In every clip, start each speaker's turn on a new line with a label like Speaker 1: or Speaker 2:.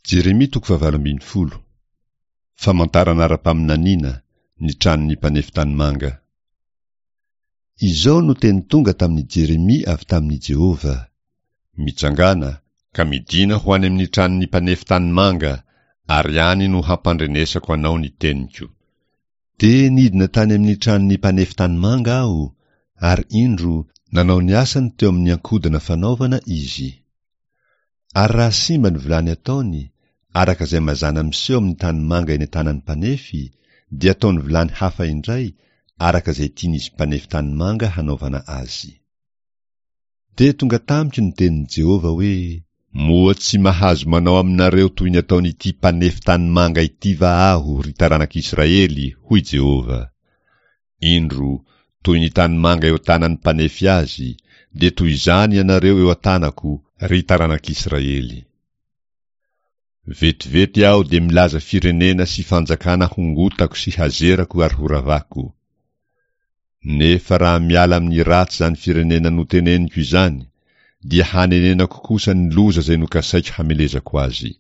Speaker 1: Jeremia toko fahavalo ambin'ny folo. Famantarana ara-paminaniana, ny tranon'ny mpanefy tanimanga. Izao no teny tonga tamin'i Jeremia avy tamin'i Jehovah, Mitsangàna, ka midìna ho any amin'ny tranon'ny mpanefy tanimanga, ary any no hampandrenesako anao ny teniko. Dia nidina tany amin'ny tranon'ny mpanefy tanimanga aho, ary indro, nanao ny asany teo amin'ny ankodina fanaovana izy. Ary raha simba ny vilany ataony, araka izay mazàna miseho amin'ny tanimanga eny an-tanan'ny mpanefy, dia ataony vilany hafa indray, araka izay tian'izy mpanefy tanimanga hanaovana azy. Dia tonga tamiko ny tenin'i Jehovah hoe, Moa tsy mahazo manao aminareo toy ny ataon'ity mpanefy tanimanga ity va aho, ry taranak'Israely? hoy Jehovah. Indro, toy ny tanimanga eo an-tanan'ny mpanefy azy, dia toy izany ianareo eo an-tanako, ry taranak'Israely. Vetivety aho dia milaza firenena sy fanjakana hongotako sy hazerako ary horavako. Nefa raha miala amin'ny ratsy izany firenena noteneniko izany, dia hanenenako kosa ny loza izay nokasaiko hamelezako azy.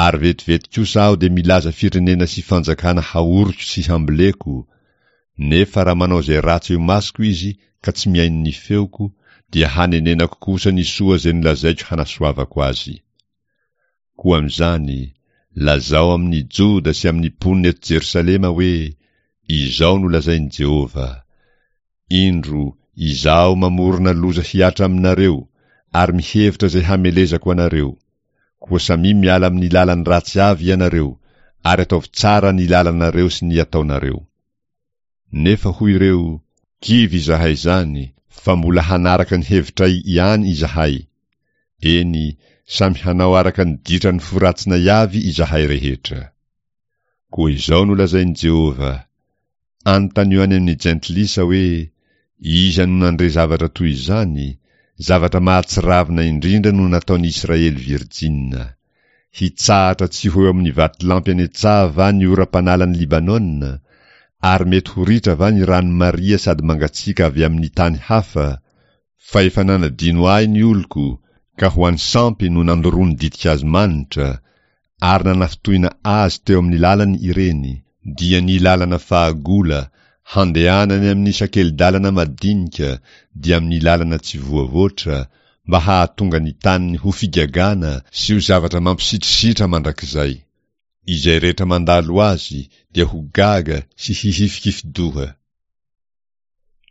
Speaker 1: Ary vetivety kosa aho dia milaza firenena sy fanjakana haoriko sy hamboleko, nefa raha manao izay ratsy eo imasoko izy ka tsy mihaino ny feoko, dia hanenenako kosa ny soa izay nolazaiko hanasoavako azy. Koa amin'izany, lazao amin'ny Joda sy amin'ny mponina eto Jerosalema hoe, Izao no lazain'i Jehovah, Indro, Izaho mamorona loza hihatra aminareo, ary mihevitra izay hamelezako anareo. Koa samia miala amin'ny lalan'ny ratsy avy ianareo, ary ataovy tsara ny lalanareo sy ny ataonareo. Nefa hoy ireo, Kivy izahay izany, fa mbola hanaraka ny hevitray ihany izahay. Eny, samy hanao araka ny ditran'ny fo ratsinay avy izahay rehetra. Koa izao no lazain'i Jehovah, Anontanio any amin'ny jentilisa hoe, 'Iza no nandre zavatra toy izany? Zavatra mahatsiravina indrindra no nataon'i Israely virjina. Hitsahatra tsy ho eo amin'ny vatolampy any an-tsaha va ny oram-panalan'i Libanona? Ary mety ho ritra va ny rano maria sady mangatsiaka avy amin'ny tany hafa? Fa efa nanadino ahy ny oloko, ka ho an'ny sampy no nandoroany ditin-kazo manitra, ary nanafintohina azy teo amin'ny lalany ireny, dia ny lalana fahagola, handehanany amin'ny sakeli-dalana madinika, dia amin'ny lalana tsy voavoatra, mba hahatonga ny taniny ho figagana sy ho zavatra mampisitrisitra mandrakizay. Izay rehetra mandalo azy dia ho gaga sy hihifikifi-doha.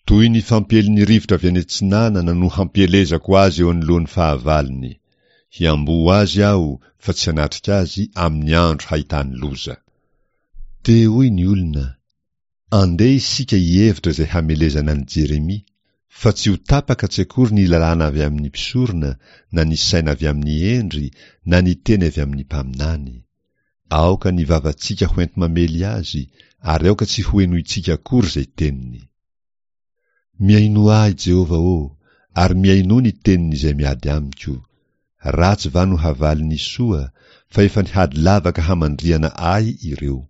Speaker 1: Toy ny fampielin'ny rivotra avy any atsinanana no hampielezako azy eo anoloan'ny fahavalony. Hiamboho azy aho fa tsy hanatrika azy amin'ny andro hahitany loza. Dia hoy ny olona, Andeha isika hihevitra izay hamelezana an'i Jeremia, fa tsy ho tapaka tsy akory ny lalàna avy amin'ny mpisorona, na ny saina avy amin'ny hendry, na ny teny avy amin'ny mpaminany. Aoka ny vavantsika ho enti-mamely azy, ary aoka tsy hohenointsika akory izay teniny. Mihainoa ahy, Jehovah ô, ary mihainoa ny tenin'izay miady amiko. Ratsy va no havalin'ny soa, fa efa nihady lavaka hamandrihana ahy ireo.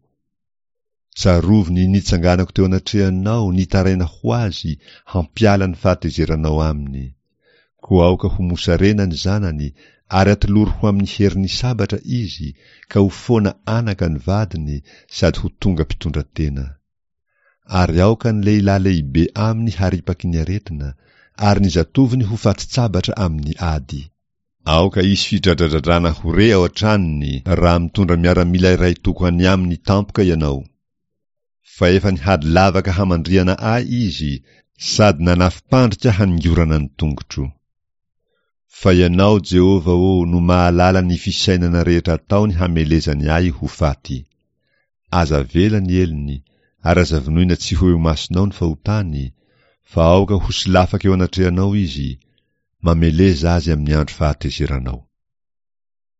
Speaker 1: Tsarovy ny nitsanganako teo anatrehanao nitaraina ho azy hampiala ny fahatezeranao aminy. Koa aoka ho mosarena ny zanany ary atolory ho amin'ny herin'ny sabatra izy ka ho foana anaka ny vadiny sady ho tonga mpitondra tena. Ary aoka ny lehilahy lehibe aminy haripaky ny aretina ary ny zatovony ho fatin-tsabatra amin'ny ady. Aoka hisy fidradradradrana ho re ao an-tranony raha mitondra miaramila iray toko any aminy tampoka ianao. Fa efa nihady lavaka hamandrihana ahy izy sady nanafim-pandrika haningorana ny tongotro. Fa ianao, Jehovah ô, no mahalala ny fisainana rehetra ataony hamelezany ahy ho faty. Aza avela ny helony, ary aza vonoina tsy ho eo imasonao ny fahotany, fa aoka ho solafaka eo anatrehanao izy, mameleza azy amin'ny andro fahatezeranao.